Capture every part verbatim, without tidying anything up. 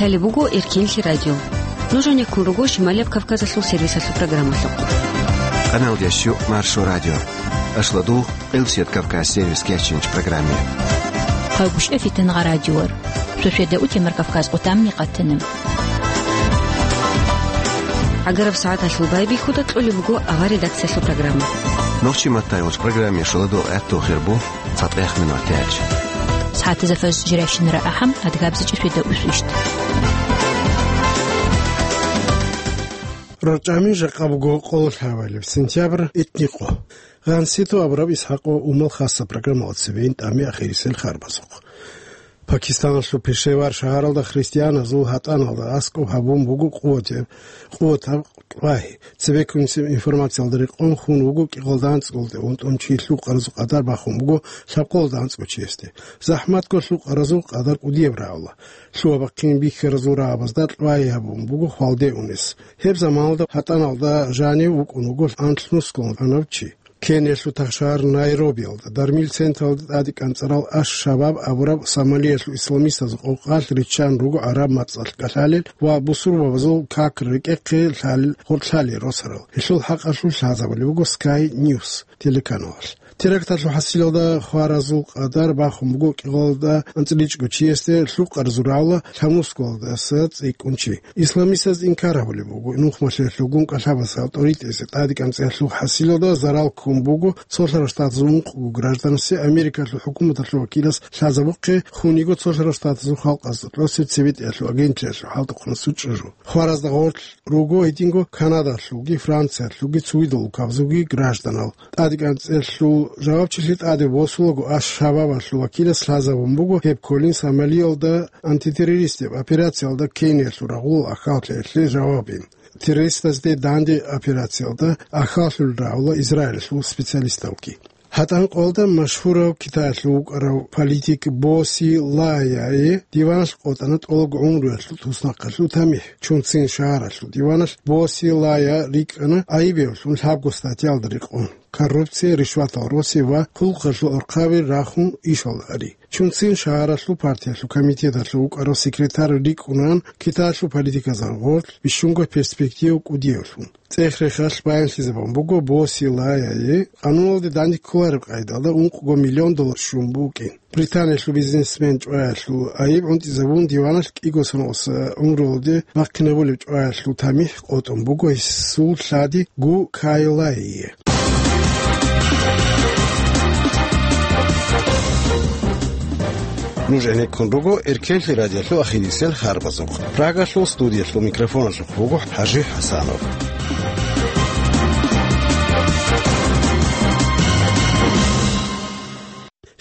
Лъалеб буго Эркенлъи радио. Нуж гьанеккун руго Шималияб Кавказалъул сервисалъул программалъухъ. Къаналдящу Маршо радио. Ашладу Къилсият Кавказ сервис кечинч программе. Хъагушев Фитангъа радиор. Суседа утемар Кавказ отамни къатана. Агараб сагӀаталъул байбихьуда кьолеб буго авар редакциялъул программа. Нохчи маттай гъоч программе шуладу гӀатту хирбу. ЦатӀех минут гьечӀ. СагӀатазда фаз жирайщинара ахӀам, адгабзичӀи светда усвищт. РорчӀами жакъа буго къоло лъабабилеб сентябрь, итни къо. Гъанситу абураб ИсхӀакъ ва Умал хасса программалда цебейин тӀами ахирисел харбазухъ. Пакистаналъул Пешевар шагьаралда христианазул гьатӀаналда аскӀоб гьабун буго къуватаб, къуватаб лагъи. Цебеккунеб информациялда рекъон хун вуго кӀикъоялда анцӀгоялде унтӀун чи лъукъаразул къадар бахун буго лъабкъоялда анцӀго чиясде. ЗахӀматго лъукъаразул къадар кӀудияб рагӀула. Лъугьа-бахъин бихьаразул рагӀабазда лагъи гьабун буго хвалде унес. Гьеб заманалда гьатӀаналда жанив вукӀун вуго анлънусго анав чи. Кениялъул тахшагьар Найробиялда, дармил централда тӀаде кӀанцӀарал Аш-Шабаб абураб Сомалиялъул исламистазул къокъалъ риччан руго гӀараб мацӀалъ кӀалъалел ва бусурбабазул как рекӀехъе лъалел гъоркьлъалел росарал. Гьелъул хӀакъалъулъ лъазабулеб буго Sky News телеканалалъ. Теракталъул хӀасилалда хваразул къадар бахун буго кӀикъоялда анцӀиличӀго чиясде лъукъаразул рагӀула лъабнусгоялдаса цӀикӀкӀун чи. Исламистаз инкар гьабулеб буго, нухмалъиялъулгун кӀалъабаса авторитетазе тӀаде кӀанцӀиялъул хӀасилалда зарал ккун буго цолъарал штатазул ункъго гражданасе, Америкалъул хӀукуматалъул вакилас лъазабухъе, хун йиго цолъарал штатазул халкъазда кьосеб цебетӀиялъул агентлъиялъул хӀалтӀухъанасул чӀужу. Хваразда гъорлъ руго гьединго Канадалъулги, Франциялъулги, цогидал улкабазулги гражданал. ТӀаде кӀанцӀиялъул жавабчилъи тӀаде босулаго Аш-Шабабалъул вакилас лъазабун буго гьеб кколин Сомалиялда антитеррористияб операциялда Кениялъул рагъул ахӀаллъиялъе жавабин. Террористазде данде операциялда ахӀаллъулел рагӀула Израилалъул специалисталги. ГьатӀанкъоялда машгьурав Китаялъул вукӀарав политик Бо Си Лаяе диваналъ къотӀана тӀолабго гӀумруялъул туснахъалъул тамихӀ. Чунцин шагьаралъул диваналъ Бо Си Лая рикӀкӀана гӀайибевлъун лъабго статьялда рекъон: коррупция, ришватал росизе ва хъулухъалъул орхъаби рахун ишалда ари. Чунцин шагьаралъул партиялъул комитеталъул вукӀарав секретарь рикӀкӀунаан Китаялъул политиказда гъорлъ бищунго перспектива кӀудиявлъун. ЦӀех-рехалъ баянлъизабун буго Бо Си Лаяе къануналде данде кколареб къайдалда ункъго миллион доллар щун букӀин. Британиялъул бизнесмен чӀваялъул гӀайиб гӀунтӀизабун диваналъ кӀиго соналъ гӀумруялде бахъинабулеб чӀваялъул тамихӀ къотӀун буго гьесул лъади Гу Кай Лайе. Нуж гӀенеккун руго Эркенлъи радиолъул ахирисел харбазухъ. Прагалъул студиялъул микрофоналъухъ буго ХӀажи ХӀасанов.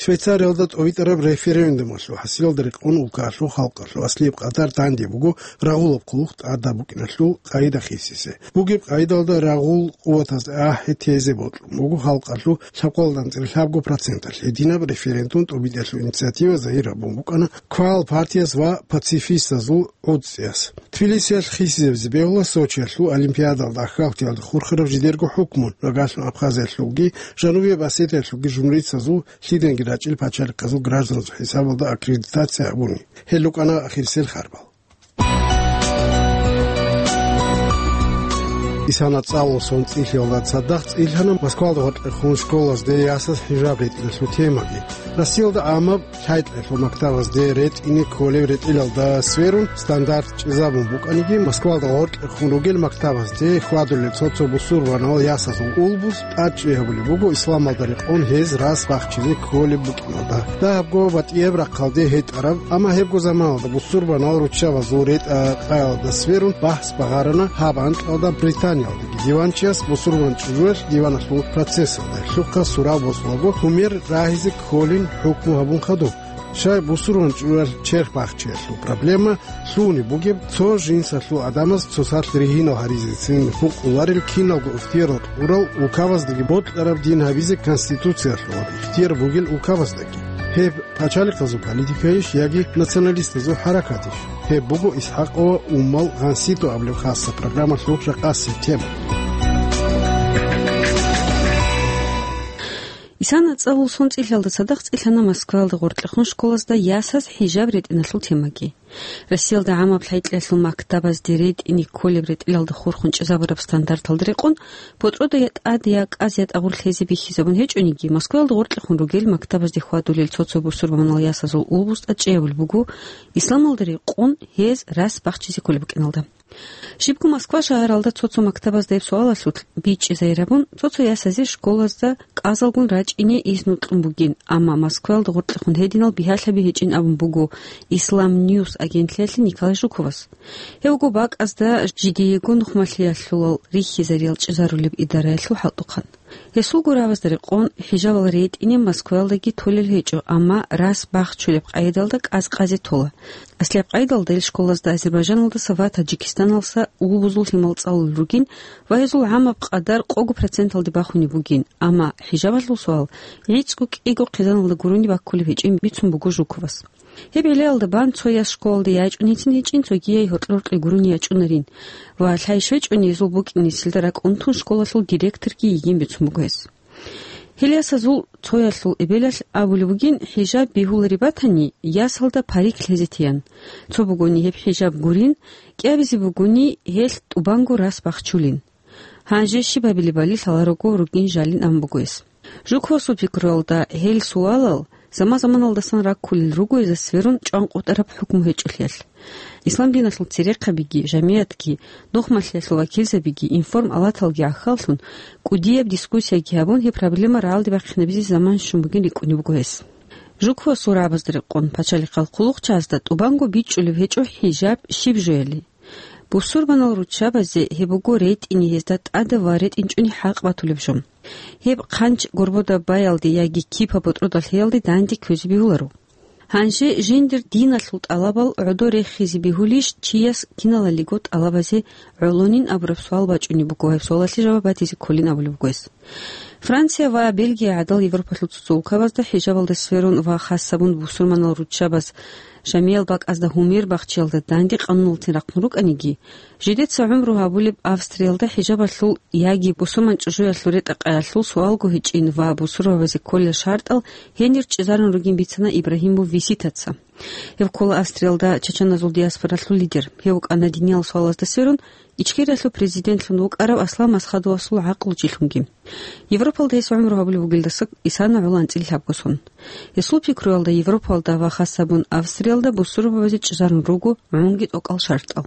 Швейцариялда тӀовитӀараб референдумалъул хӀасилалда рекъон улкаялъул халкъалъул аслияб къадар данде буго рагъулаб хъулухъ тӀадаб букӀиналъул къайда хисизе. Бугеб къайдалда рагъул къуватазда ахӀи тезе бокьун буго халкъалъул лъабкъоялда анцӀила лъабго проценталъ. Гьединаб референдум тӀобитӀиялъул инициатива загьир гьабун букӀана квал партияз ва пацифистазул гӀуцӀиялъ. Тбилисиялъ хисизабизе бегьула Сочиялъул Олимпиадалда ахӀаллъиялда хурхараб жидерго хӀукму, рагъалъун Абхазиялъулги Жанубияб Осетиялъулги журналистазул лъиданиги рачӀил пачалихъазул гражданазул хӀисабалда аккредитация гьабуни. Гьел рукӀана ахирисел харбал. Исана цӀалул сон цӀилъиялда цадахъ цӀилъана Москвалда гъоркьехун школазде ясаз хӀижаб ретӀиналъул темаги. Россиялда гӀамаб лъай-кьолъул мактабазде ретӀине кколеб ретӀелалда сверун стандарт чӀезабун букӀаниги, Москвалда гъоркьехун ругел мактабазде хьвадулел цо-цо бусурбанал ясазул улбуз тӀадчӀей гьабулеб буго исламалда рекъон гьез рас бахчизе кколеб букӀиналда. Дагьабго батӀияб рахъалде гьетӀараб, амма гьебго заманалда бусурбанал руччабазул ретӀа-къаялда сверун бахӀс багъарана гьаб анкьалда Британиялдаги. Диванчияс бусурбан чӀужуялъ диваналъул процессалда гьелъухъа сурал босулаго гьумер рагьизе кколин хӀукму гьабун хадуб. Щай бусурбан чӀужуялъ черх бахчиялъул проблема лъугьунеб бугеб, цо жинсалъул гӀадамаз цоцалъ ригьинал гьаризецин гьукъуларел киналго ихтияр кьурал улкабаздаги бокьараб дин гьабизе конституциялъул ихтияр бугел улкабаздаги. Гьеб пачалихъазул политикайищ яги националистазул хӀаракатищ? Гьеб буго ИсхӀакъ ва Умал гъанситӀу абулеб хасса программалъул жакъасеб тема. Исана цӀалул сон цӀилъалда цадахъ цӀилъана Москвалда гъоркьехун школазда ясаз хӀижаб ретӀиналъул темаги. Россиялда гӀамаб лъай-кьеялъул мактабазде ретӀине кколеб ретӀелалда хурхун чӀезабураб стандарталда рекъон, ботӀрода я тӀад, я кӀаз, я тӀагъур лъезе бихьизабун гьечӀониги, Москваялда гъоркьехун ругел мактабазде хьвадулел цо-цо бусурбабазул ясазул улбуз тӀадчӀей гьабулеб буго, исламалда рекъон гьез рас бахчизе кколеб букӀиналда. Щибго Москва шагьаралда цо-цо мактабазда гьеб суалалъулъ бичӀчӀизайирабун, цо-цо ясазе школазда кӀазалгун рачӀине изну кьун бугин, амма Москваялда гъоркьехун гьединал бигьалъаби гьечӀин абун буго Ислам Ньюс агентлъиялъе Николай Жуковас. Гьев вуго бакӀазда жидеего нухмалъиялъулал рихьизариял чӀезарулеб идараялъул хӀалтӀухъан. Гьесул гурабазда рекъон, хӀижабал ретӀине Москваялдаги толел гьечӀо, амма рас бахчулеб къайдалда кӀаз-кӀазе тола. Аслияб къайдалда ил школазда Азербайжаналдаса ва Таджикистаналдаса улбузул лъимал цӀалулел ругин ва гьезул гӀамаб къадар къого проценталде бахунеб бугин, амма хӀижабалъул суал гӀицӀго-кӀиго хъизаналда гурони баккулеб гьечӀин бицун буго Жуковас. Гьеб гӀиллаялда бан цо яс школалде ячӀунецин гьечӀин, цогияй гьоркьор-гьоркье гурони ячӀунарин ва лъай щвечӀони гьезул букӀин нилъеда ракӀ унтун школалъул директорги йигин бицун буго гьес. Гьел ясазул цоялъул эбелалъ абулеб бугин, хӀижаб бегьулареб батани, ясалда парик лъезе тиян. Цо бугони гьеб хӀижаб гурин, кӀиабизе бугони гьелъ тӀубанго рас бахчулин. Гьанже щиб гьабилебали лъаларого ругин жалин абун буго гьес. Жуковасул пикруялда, гьел суалал заман-заманалдасан раккулел руго гьезда сверун чӀванкъотӀараб хӀукму гьечӀолъиялъ. Ислам диналъул церехъабиги, жамигӀатги, нухмалъиялъул вакилзабиги, информалаталги гӀахьаллъун, кӀудияб дискуссияги гьабун, гьеб проблема рагӀалде бахъинабизе заман щун бугин рикӀкӀунеб буго гьес. Жуковасул рагӀабазда рекъон, пачалихъал хъулухъчагӀазда тӀубанго бичӀчӀулеб гьечӀо хӀижаб щиб жояли. Бусурбанал руччабазе гьеб буго ретӀине гьезда тӀадаб ва ретӀинчӀони хӀакъ батулеб жо. Гьеб хъанч горбода баялде яги кипа ботӀродалъеялде данде кквезе бегьуларо. Гьанже жиндир диналъул тӀалабал гӀодо рехизе бегьулищ чияс киналалиго тӀалабазе гӀолонин абураб суал бачӀунеб буго, гьеб суалалъе жаваб батизе кколин абулеб буго гьес. Франция ва Бельгия гӀадал Европалъул цо-цо улкабазда хӀижабалда сверун ва хасабун бусурманал руччабаз жамиял бакӀазда гьумер бахчиялда данде къануналцин рахъун рукӀаниги, жидеца гӀумру гьабулеб Австриялда хӀижабалъул яги бусурман чӀужуялъул ретӀа-къаялъул суалго гьечӀин ва бусурбабазе кколел шартӀал гьенир чӀезарун ругин бицана Ибрагьимов Виситаца. Гьев ккола Австриялда чачаназул диаспоралъул лидер. Гьев вукӀана диниял суалазда сверун Ичкериялъул президентлъун вукӀарав Аслан Масхадовасул гӀакълучилъунги. Европалда гьес гӀумру гьабулеб бугелдаса исана гӀоло анцӀила лъабго сон. Гьесул пикруялда, Европалда ва хасабун Австриялда бусурбабазе чӀезарун руго гӀунги тӀокӀал шартӀал.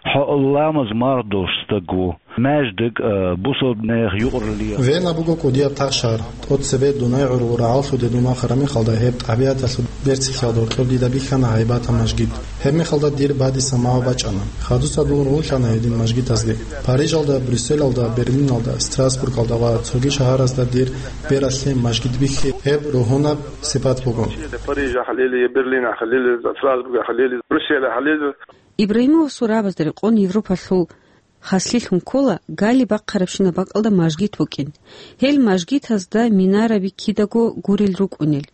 ХӀо ламаз мардолъ стагу, маждик, а, бусурбнех юкърулиях. Вена буго кӀудияб тахшар. ТӀоцебе дунай гӀургъу рагӀаллъуде дун вахараб мехалда, гьеб тӀабигӀаталъул берцинлъиялда гьоркьоб дида бихьана гьайбатаб мажгит. Гьеб мехалда дир бадиса магӀу бачӀана. Хадуса дун рулъана гьедин мажгитазде. Парижалда, Брюсселалда, Берлиналда, Страсбургалда ва цоги шагьаразда дир бералъе мажгит бихьи, гьеб ругьунаб сипат буго. Парижахъ лели, Берлинахъ лели, Страсбургахъ лели, Брюсселахъ лели. Ибрагьимовасул рагӀабазда рекъон Европалъул хаслъилъун ккола гали бахъарабщинаб бакӀалда мажгит букӀин. Гьел мажгитазда минараби кидаго гурел рукӀунел.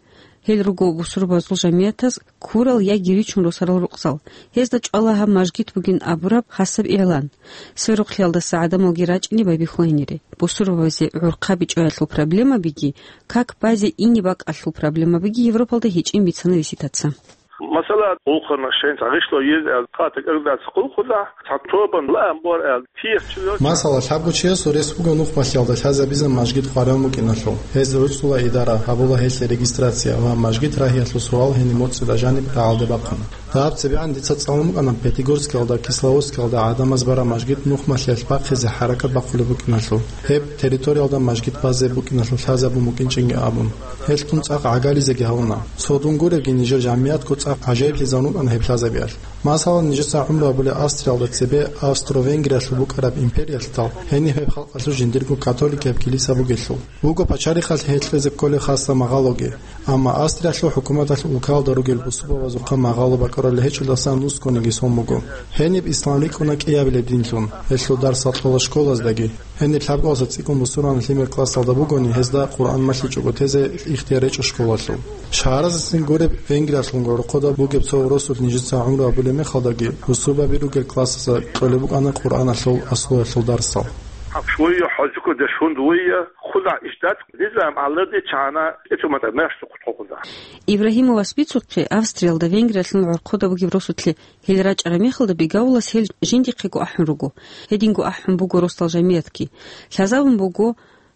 Гьел руго бусурбабазул жамигӀатаз ккурал яги ричун росарал рукъзал. Гьезда чӀвала гьаб мажгит бугин абураб хасаб игӀлан. Сверухълъиялдаса гӀадамалги рачӀине байбихьуланире. Бусурбабазе гӀурхъаби чӀваялъул проблемабиги, как базе ине бакӀалъул проблемабиги Европалда гьечӀин бицана Виситаца. Масала, хъулухъана шайин гъишло ез, эл, хъата кӀаргдаца хъулухъула, цо тобан лаам бор, эл, тиех чула. Масала, лъабго чиясул рес буго нухмалъиялда лъазабизе мажгит хъваран букӀиналъул. Гьез руцӀцӀула идара, гьабула гьелъе регистрация ва мажгит рагьиялъул суал гьениб моцӀида жаниб рагӀалде бахъана. Дагьаб цебегӀан дица цӀалун букӀана Пятигорскиялда, Кисловодскиялда гӀадамаз бараб мажгит нухмалъиялъ бахъизе хӀаракат бахъулеб букӀиналъул. Гьеб территориялда мажгит базе букӀиналъул лъазабун букӀинчӀинги абун. Гьелъ дун цӀакъ гӀагализеги гьавуна. Цо дун гуребги, нижер жамигӀатго цӀакъ гӀажаиблъизабун букӀана гьеб лъазабиялъ. Масала, нижеца гӀумру гьабулеб Австриялда цебе Австро-Венгриялъул букӀараб империялъул гьениб гьеб халкъалъул жиндирго католикияб килиса бугелъул. Буго пачалихъалъ гьел кьезе кколел хасаб магъалоги. Амма Австриялъул хӀукуматалъ улкалда ругел бусурбабазухъа магъало бакӀарулел гьечӀолдасан нускониги сон буго. Гьениб ислам рикӀкӀуна кӀиабилеб динлъун, гьелъул дарсал кьола школаздаги. Гьениб лъабкъоялдаса цӀикӀкӀун бусурбанал лъимер классалда бугони, гьезда Къуръан малъичӀого тезе ихтияр гьечӀо школалъул. Шагьаразецин гуреб, Венгриялъун гӀорохъода бугеб цо уросулъ нижеца гӀумру гьабулеб мехалдаги, бусурбаби ругел классазда кьолеб букӀана Къуръаналъул аслуялъул дарсал. Швуя хӀажука дашун дуя. Куда иштат, низам аларни чана, эцумата мерш сухъутхъухъуда. Ибрагьимовас бицухъе Австриялда Венгриялъул гӀорхъода бугеб росулъе гьел рачӀараб мехалда бигавулас гьел жиндихъего ахӀун руго. Гьединго ахӀун буго росдал жамиятги. Лъазабун буго,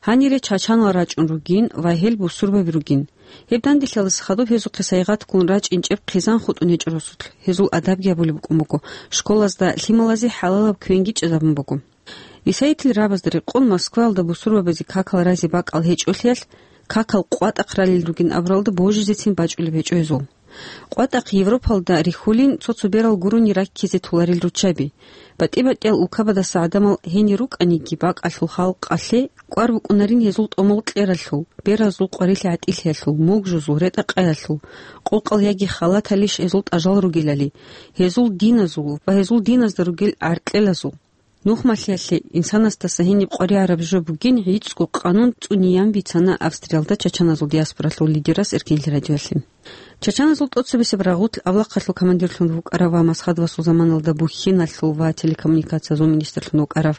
гьанире чачанал рачӀун ругин ва гьел бусурбаби ругин. Гьеб данделъиялдаса хадуб гьезухъе сайгъатгун рачӀинчӀеб хъизан хутӀун гьечӀо росулъ. Гьезул адабги гьабулеб букӀун буго. Школазда лъималазе хӀалалаб квенги чӀезабун буго. Исаитил рабазда рекъон Москваялда бусурбабазе какал разе бакӀал гьечӀолъиялъ, какал къватӀахъ ралел ругин абуралда божизецин бачӀулеб гьечӀо гьезул. КъватӀахъ Европалда рихьулин цо-цо берал гурони раккизе толарил руччаби. БатӀи-батӀиял улкабадаса гӀадамал гьенир рукӀаниги, бакӀалъул халкъалъе кӀвар букӀунарин гьезул тӀомал кьералъул, беразул къварилъи гӀатӀилъиялъул, мугжузул, ретӀа-къаялъул, къокъал яги халаталищ гьезул тӀажал ругелали, гьезул диназул ва гьезул диназда ругел гӀаркьелазул. Нухмалъиялъе инсанасдаса гьениб къваригӀараб жо бугин гӀицӀго къанун цӀуниян бицана Австриялда чачаназул диаспоралъул лидерас Эркенлъи радиоялъе. Чачаназул тӀоцебесеб рагъулъ авлахъалъул командирлъун вукӀарав ва Масхадовасул заманалда бухьиналъул ва телекоммуникациязул министрлъун вукӀарав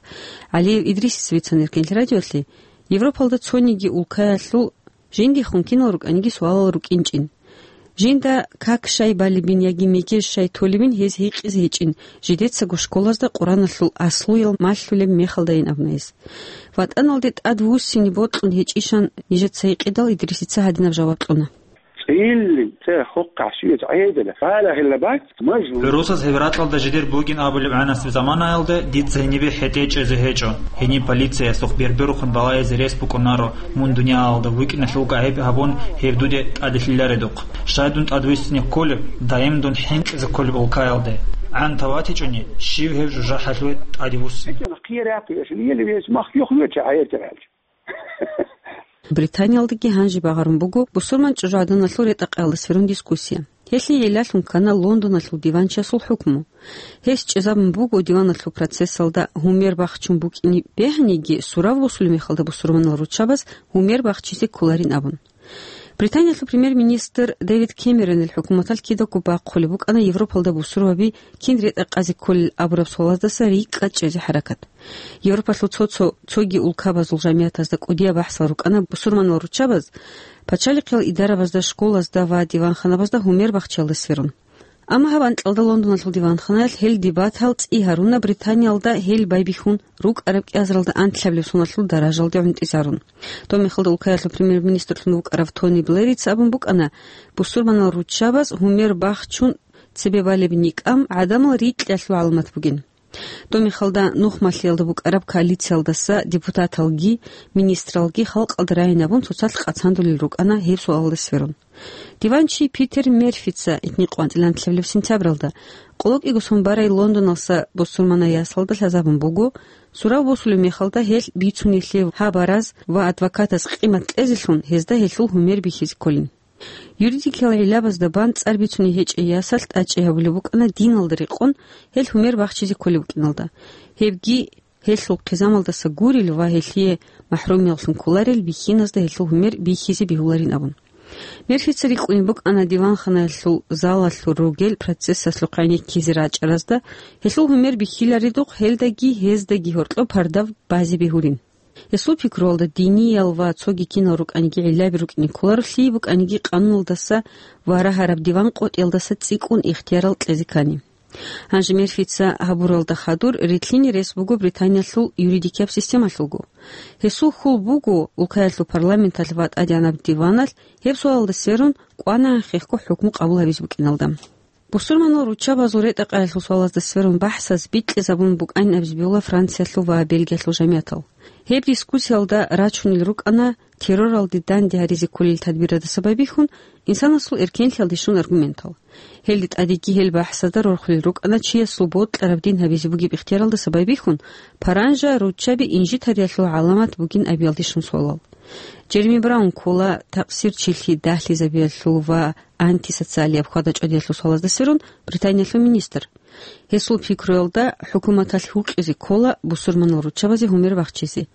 ГӀалиев Идрисица бицана Эркенлъи радиоялъе, Европалда цониги улкаялъул жиндихун кинал рукӀаниги суалал рукӀинчӀин. Жинда как щай балебин яги мегеж щай толебин гьез гьикъизе гьечӀин, жидецаго школазда Къураналъул аслуял малъулеб мехалдайин абуна гьес. ВатӀаналде тӀад вуссине бокьун гьечӀищан нижеца гьикъидал, Идрисица гьадинаб жаваб кьуна. ЦӀилли, цӀе хохъа щивец гӀедала, гьала гьелла бакӀ, мажгьур. ГӀурусаз гьеб ракьалда жидер бугин абулеб гӀанасеб заманаялда дица гьенибе хӀетӀе чӀезе гьечӀо. Гьениб полициясухъ берберухъун балагьизе рес букӀунаро, мун дуниялалда вукӀиналъулго гӀайиб гьабун, гьеб дуде тӀаделъиларедухъ. Щай дун тӀадвуссине кколеб, даим дун хӀинкъизе кколеб улкаялде? ГӀан таватичӀони, щив гьев жужахӀалъуве тӀадвуссине? Британиялдаги гьанже багъарун буго бусурман чӀужугӀаданалъул ретӀа-къаялда сверун дискуссия. Гьелъие гӀиллалъун ккана Лондоналъул диванчиясул хӀукму. Гьес чӀезабун буго диваналъул процессалда гьумер бахчун букӀине бегьаниги, сурав босулеб мехалда бусурманал руччабаз гьумер бахчизе кколарин абун. Британиялъул премьер-министр Дэвид Кэмеронил хӀукуматалъ кидаго бахъулеб букӀана Европалда бусурбаби кин ретӀа-къазе кколел абураб суалаздаса рикӀкӀад чӀезе хӀаракат. Европалъул цо-цо цоги улкабазул жамиятазда кӀудияб бахӀсал рукӀана бусурманал руччабаз пачалихъиял идарабазда, школазда ва диванханабазда гьумер бахчиялда сверун. Амма гьаб анкьалда Лондоналъул диванханаялъ гьел дебатал цӀи гьаруна Британиялда гьел байбихьун рукӀараб кӀиазаралда анлъабилеб соналъул даражалде гӀунтӀизарун. Доб мехалда улкаялъул премьер-министрлъун вукӀарав Тони Блерица абун букӀана, бусурманал руччабаз гьумер бахчун цебе балеб никӀкӀам гӀадамал рикьалъул гӀаламат бугин. Доб мехалда нухмалъиялда букӀараб коалициялдаса депутаталги, министралги халкъалда рагӀинабун цоцалъ къацандулел рукӀана гьеб суалалда сверун. Диванчи Питер Мерфица итни къванцӀилан лъабилеб сентябралда, къоло кӀиго сон барай Лондоналса бусурманай ясалда лъазабун буго, сурав босулеб мехалда гьелъ бицунелъе гьабараз ва адвокатаз къимат кьезелъун гьезда гьелъул гьумер бихьизе кколин. Юридикиял гӀиллабазда бан цӀар бицуней гьечӀей ясалъ тӀачӀи гьабулеб букӀана диналда рекъон гьел гьумер бахчизе кколеб букӀиналда. Гьебги гьелъул хъизамалдаса гурел ва гьелъие махӀрумияллъун кколарел бихьиназда гьелъул гьумер бихьизе бегьуларин абун. Мерфица рикӀкӀунеб букӀана диванханаялъул залалъур ругел процессалъухъ гӀенеккизе рачӀаразда гьелъул гьумер бихьиларедухъ гьелдаги гьездаги гьоркьоб пардав базе бегьулин. Гьесул пикруялда диниял ва цоги кинал рукӀаниги гӀиллаби рукӀине кколаро, лъие букӀаниги къануналдаса ва рагьараб диван къотӀиялдаса цӀикӀкӀун ихтиярал кьезе ккани. Гьанже Мерфица гьабуралда хадур ритлъине рес буго Британиялъул юридикияб системалъулго. Гьесул хьул буго, улкаялъул парламенталъ ва тӀадегӀанаб диваналъ гьеб суалалда сверун кӀванагӀан хехго хӀукму къабул гьабизе букӀиналда. Бусурманал руччабазул ретӀа-къаялъул суалазда сверун бахӀсаз бикьизабун букӀанин абизе бегьула Франциялъул ва Бельгиялъул жамиятал. Гьеб дискуссиялда рачунел рукӀана терроралде данде гьаризе кколел тадбирадаса байбихьун, инсанасул эркенлъиялде щун аргументал. Гьелде тӀадеги гьел бахӀсазда рорхулел рукӀана чиясул бокьараб дин гьабизе бугеб ихтияралдаса байбихьун, паранжа руччаби инжитариялъул гӀаламат бугин абиялде щун суалал. Джереми Браун ккола такъсирчилъи дагьлъизабиялъул ва антисоциалияб хьвада-чӀвадиялъул суалазда сверун Британиялъул министр. Гьесул пикруялда, хӀукуматалъ гьукъизе ккола бусурманал руччабазе гьумер бахчизе.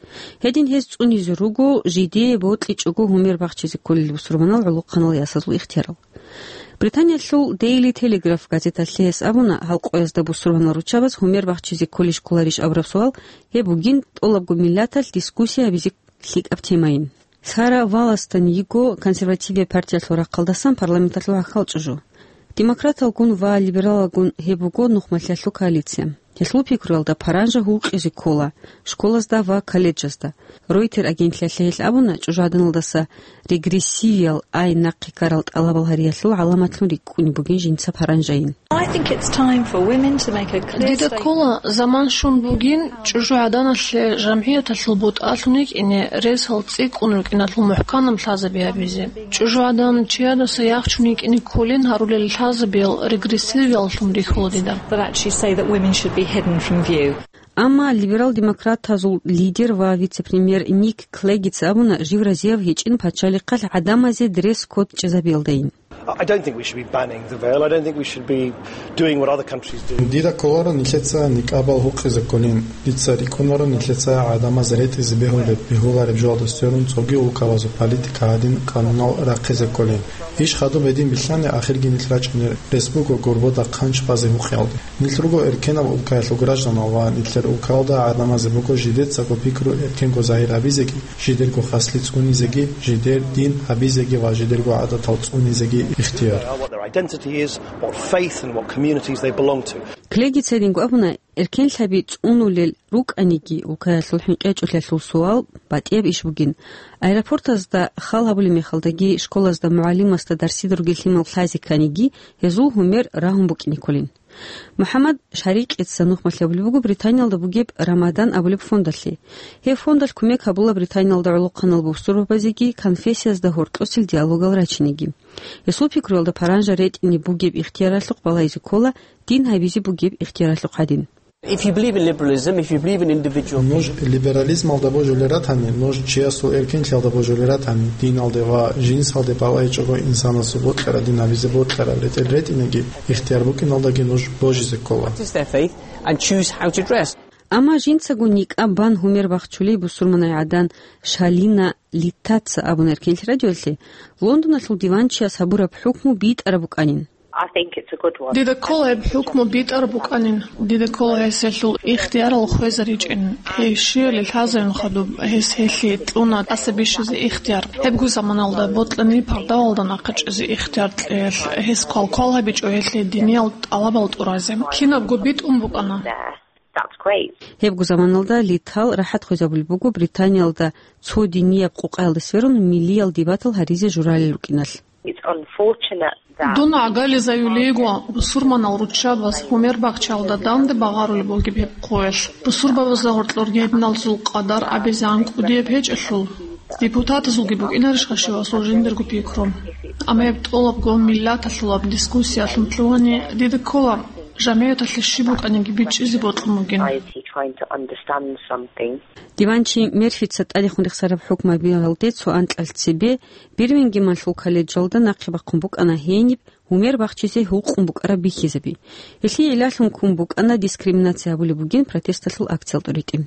Гьедин гьез цӀунизе руго жидее бокьичӀого гьумер бахчизе кколел бусурманал гӀолохъанал ясазул ихтиярал. Британиялъул Daily Telegraph газеталъе гьес абуна, гьал къоязда бусурманал руччабаз гьумер бахчизе кколищ кколарищ абураб суал гьеб бугин тӀолабго миллаталъ дискуссия гьабизе лъикӀаб темайин. Сара Валастан йиго консервативияб партиялъул рахъалдасан парламенталъул гӀахьал чӀужу. Демократалгун ва либералалгун гьеб буго нухмалъиялъул коалиция. Гьелъул пикруялда паранжа гьукъизе ккола школазда ва колледжазда. Ройтер агентлъиялъе гьел абуна чӀужугӀаданалдаса регрессивиял ай нахъе ккарал тӀалабал гьариялъул гӀаламатлъун рикӀкӀунеб бугин жинца паранжайин. I think it's time for women to make a clear Дида statement. Ккола заман щун бугин чӀужугӀаданалъе жамгӀияталъул бутӀалъун йикӀине ресал цӀикӀкӀун рукӀиналъул мухӀканаб лъазаби гьабизе. ЧӀужугӀадан чиядаса яхчун йикӀине кколин гьарулел лъазабиял регрессивияллъун рихьула дида. But actually say that women should be hidden from view. Амма либерал-демократазул лидер ва вице-премьер Ник Клегица абуна жив разияв гьечӀин пачалихъалъ гӀадамазе дресс-код чӀезабиялдайин. I don't think we should be banning the veil. I don't think we should be doing what other countries do. Дида кколаро нилъеца никӀабал гьукъизе кколин. Дица рикӀкӀунаро нилъеца гӀадамаз ретӀизе бегьулеб, бегьулареб жоялда сверун цоги улкабазул политика гьадин къанунал рахъизе кколин. Иш хадуб гьедин билълъани, ахирги нилъ рачӀунел рес буго гурбода хъанч базе гьукъиялде. Нилъ руго эркенаб улкаялъул гражданал ва нилъер улкаялда гӀадамазе буго жидецаго пикру эркенго загьир гьабизеги, жидерго хаслиц унизеги, жидер дин гьабизеги ва жидерго гӀадатал цӀунизеги ихтияр. What their identity is, what faith and what communities they belong to. Клегица гьединго абуна, эркенлъаби цӀунулел рукӀаниги, улкаялъул хӀинкъи гьечӀолъиялъул суал батӀияб иш бугин. Аэропортазда хал гьабулеб мехалдаги, школазда мугӀалимасда дарсида ругел лъимал лъазе кканиги, гьезул гьумер рагьун букӀине кколин. МухӀаммад Шарикъица нухмалъи абулеб буго Британиялда бугеб Рамадан абулеб фондалъе. Гьеб фондалъ кумек гьабула Британиялда гӀолохъанал бусурбабазеги конфессиязда гьоркьосел диалогал рачинеги. Гьесул пикруялда, паранжа ретӀине бугеб ихтияралъухъ балайзе ккола дин гьабизе бугеб ихтияралъухъ гьадин. If you believe in liberalism, if you believe in individual Нуж либерализмалда божулел ратани, нуж чиясул эркенлъиялда божулел ратани, диналде ва жинсалде балайчӀого инсанасул бокьараб дин гьабизе бокьараб ретӀел ретӀинеги ихтияр букӀиналдаги нуж божизе ккола. Practice their faith and choose how to dress. Амма жинцаго никӀаб бан гьумер бахчулей бусурманай гӀадан Шалина Литтаца абуна эркенлъи радиоялъе, Лондоналъул диванчияс гьабураб хӀукму битӀараб букӀанин. I think it's a good one. Дида ккола гьеб хӀукму битӀараб букӀанин. Дида ккола гьес гьелъул ихтиярал хвезаричӀин. Гьей щивали лъазарин хадуб, гьес гьелъие кьуна тӀаса бищизе ихтияр. Гьебго заманалда бокьани пардавалда нахъа чӀезе ихтияр кьеялъ, гьес квалквал гьабичӀо гьелъие диниял тӀалабал тӀуразе. Кинабго битӀун букӀана. That's great. Гьебго заманалда Литал рахӀат хвезабулеб буго Британиялда цо динияб къукъаялда сверун миллиял дебатал гьаризе журалел рукӀиналъ. It's unfortunate that Дун гӀагарлъизаюлего, бусурманал руччабаз гьумер бахчаялда данде багъарулеб бугеб гьеб хъуялъ. Бусурбабазда гьоркьорги гьединалзул къадар абизе анкӀ кӀудияб гьечӀелъул, депутатазулги букӀинарищха щивасул жиндирго пикру? Амма гьеб тӀолабго миллаталъулаб дискуссиялъун лъугьани, дида ккола, жамигӀаталъе щиб букӀаниги бичӀчӀизе бокьун бугин. Society trying to understand something. Диванчи Мерфица тӀадехун рехсараб хӀукмабиялде цо анкьалъ цебе Бирмингемалъул колледжалда нахъе бахъун букӀана гьениб гьумер бахчизе гьукъун букӀараб бихьизаби. Гьелъие гӀиллалъун ккун букӀана дискриминация гьабулеб бугин протесталъул акциял тӀуритӀи.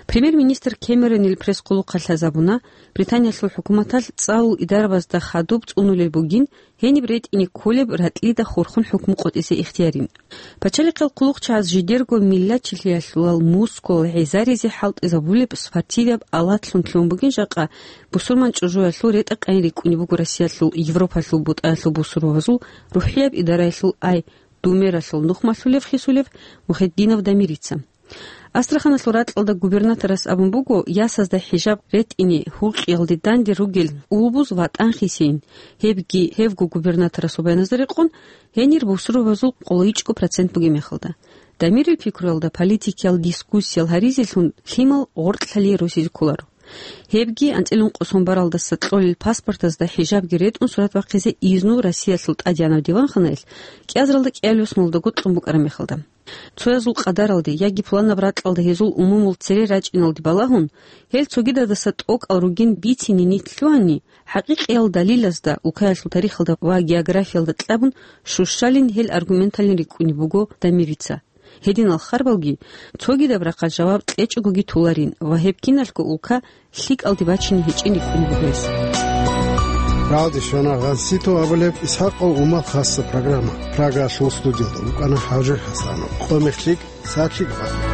Премьер-министр Кэмеронил пресс-хъулухъалъ лъазабуна, Британиялъул хӀукуматалъ цӀалул идарабазда хадуб цӀунулел бугин гьениб ретӀине кколеб ракьида хурхун хӀукму къотӀизе ихтиярин. Пачалихъал хъулухъчагӀаз жидерго миллачилъиялъулал мускул гӀезаризе хӀалтӀизабулеб спортивияб алатлъун лъугьун бугин жакъа бусурман чӀужуялъул ретӀа-къайин рикӀкӀунеб буго Россиялъул Европалъул бутӀаялъул бусурбабазул рухӀияб идараялъул ай Думералъул нухмалъулев хисулев Мухетдинов Дамирица. Астраханалъул ракьалда губернаторас абун буго, ясазда хӀижаб ретӀине гьукъиялде данде ругел улбуз ватӀан хисейин, гьебги гьевго губернаторасул баяназда рекъон, гьенир бусурбабазул къолайичӀго процент бугеб мехалда. Дамирил пикруялда, политикиял дискуссиял гьаризелъун лъимал гъоркьлъалие росизе кколаро. Гьебги анцӀила ункъо сон баралдаса кьолел паспортазда хӀижабги ретӀун сурат бахъизе изну Россиялъул ТӀадегӀанав диванханаялъ кӀиазаралда кӀиабилеб соналда гъоркьлъун букӀараб мехалда. Цоязул къадаралде яги пуланаб ракьалда гьезул умумул цере рачӀиналде балагьун, гьел цогидадаса тӀокӀал ругин бицине нилъ лъугьани, хӀакъикъиял далилазда, улкаялъул тарихалда ва географиялда кьабун щущалин гьел аргументалин рикӀкӀунеб буго Дамирица. Гьединал харбалги цогидаб рахъалъ жаваб кьечӀогоги толарин ва гьеб киналъго улка лъикӀалде бачине гьечӀин рикӀкӀунеб буго гьес. Радио щвана Гъанситов абулеб Исхакъов Умал хасса программа. Прагаялъул студиялда вукӀана ХӀажи ХӀасанов. Къо-мех лъикӀ, сагӀат лъикӀ бан.